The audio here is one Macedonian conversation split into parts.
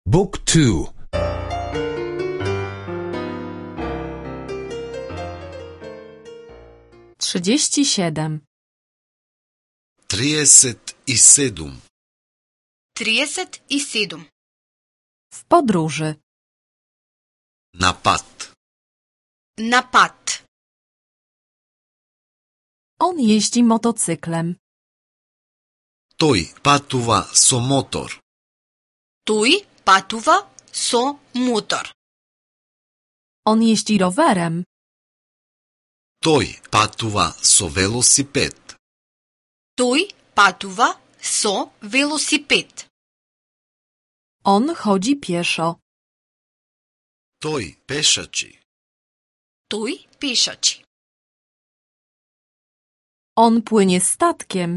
Book 2. 37. 37. 37. W podróży. На пат. На пат. On jeździ motocyklem. Тој патува со мотор. Тој патува со мотор. On jeździ rowerem. Тој патува со велосипед. Тој патува со велосипед. On chodzi pieszo. Тој пешачи. Тој пешачи. On płynie statkiem.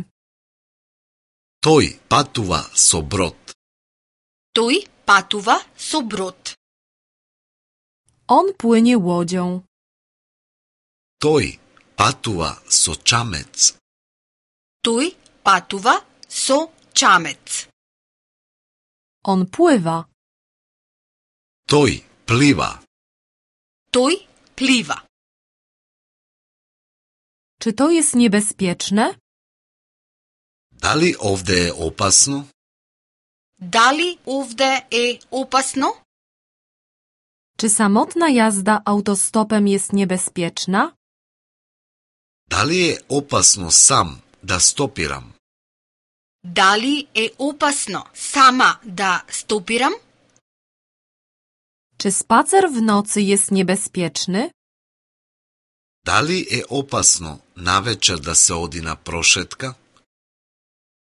Тој патува со брод. Тој патува со брод. On płynie łodzią. Тој патува со чамец. Тој патува со чамец. On pływa. Тој плива. Тој плива. Czy to jest niebezpieczne? Дали овде е опасно? Дали овде е опасно? Czy samotna jazda autostopem jest niebezpieczna? Дали е опасно сам да стопирам? Дали е опасно сама да стопирам? Czy spacer w nocy jest niebezpieczny? Дали е опасно навечер да се оди на прошетка?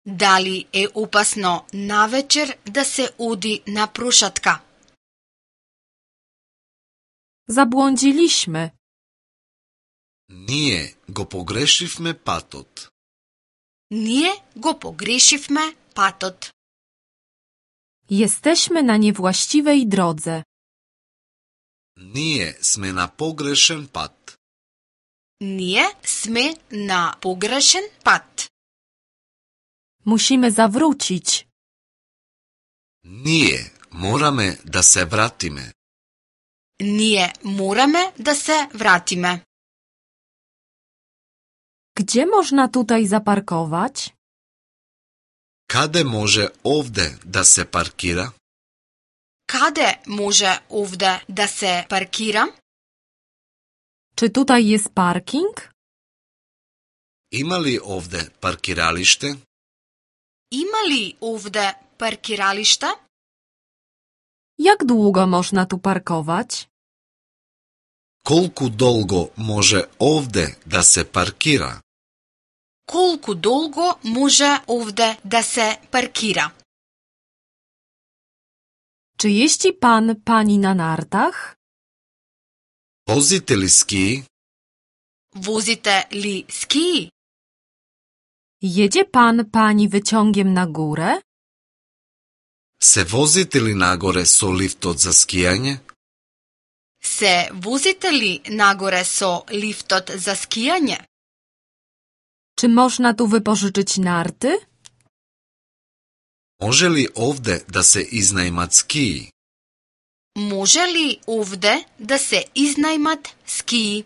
Дали е опасно навечер да се оди на прошатка? Zabłądziliśmy. Ние го погрешивме патот. Ние го погрешивме патот. Jesteśmy na niewłaściwej drodze. Ние сме на погрешен пат. Ние сме на погрешен пат. Musimy zawrócić. Ние мораме да се вратиме. Ние мораме да се вратиме. Gdzie można tutaj zaparkować? Каде може овде да се паркира? Каде може овде да се паркира? Czy tutaj jest parking? Има ли овде паркиралиште? Има ли овде паркиралишта? Jak długo można tu parkować? Колку долго може овде да се паркира? Колку долго може овде да се паркира? Czy jeździ pan, pani na nartach? Возите ли скии? Возите ли скии? Jedzie pan, pani wyciągiem na górę? Се возите ли нагоре со лифтот за скијање? Се возите ли нагоре со лифтот за скијање? Czy można tu wypożyczyć narty? Може ли овде да се изнајмат скии? Може ли овде да се изнајмат скии?